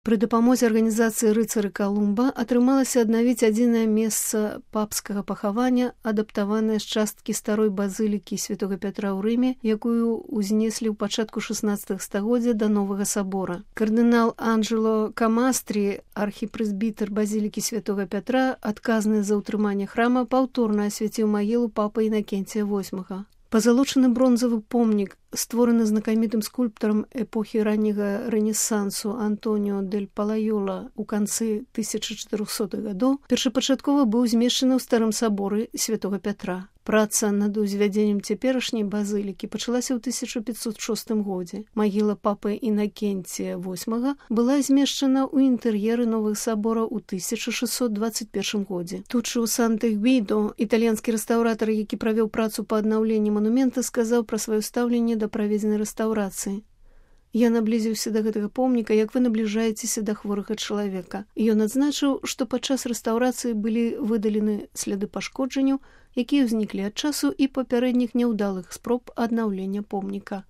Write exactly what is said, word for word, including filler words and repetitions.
Пры дапамозе арганізацыі рыцары Калумба атрымалася аднавіць адзінае месца папскага пахавання, адаптаванае з часткі старой базылікі святога Пятра ў Рыме, якую ўзнеслі ў пачатку шаснаццатага стагоддзя да новага сабора. Кардынал Анджело Камастрі, архіпрэзбітэр базілікі святога Пятра, адказны за ўтрыманне храма, паўторна асвяціў магілу папы Інакенція восьмага. Пазалочаны бронзавы помнік, створаны знакамітым скульптарам эпохі ранняга рэнесансу Антоніо дель Палайола ў канцы тысяча чатырохсотых гадоў, першапачаткова быў змешчаны ў старым саборы святога Пятра. Праца над узвядзеннем цяперашняй базылікі пачалася ў тысяча пятьсот шостым годзе. Магіла папы Інакенція восьмага была змешчана ў інтэр'еры новых сабора ў тысяча шэсцьсот дваццаць першым годзе. Тут у Санта-Гвідо італьянскі рэстаўратар, які правёў працу па аднаўленні манумента, сказаў пра сваё стаўленне да праведзенай рэстаўрацыі. Я наблізіўся да гэтага помніка, як вы набліжаецеся да хворага чалавека. Ён адзначыў, што падчас рэстаўрацыі былі выдалены сляды пашкоджанняў, якія ўзніклі ад часу і папярэдніх няўдалых спроб аднаўлення помніка.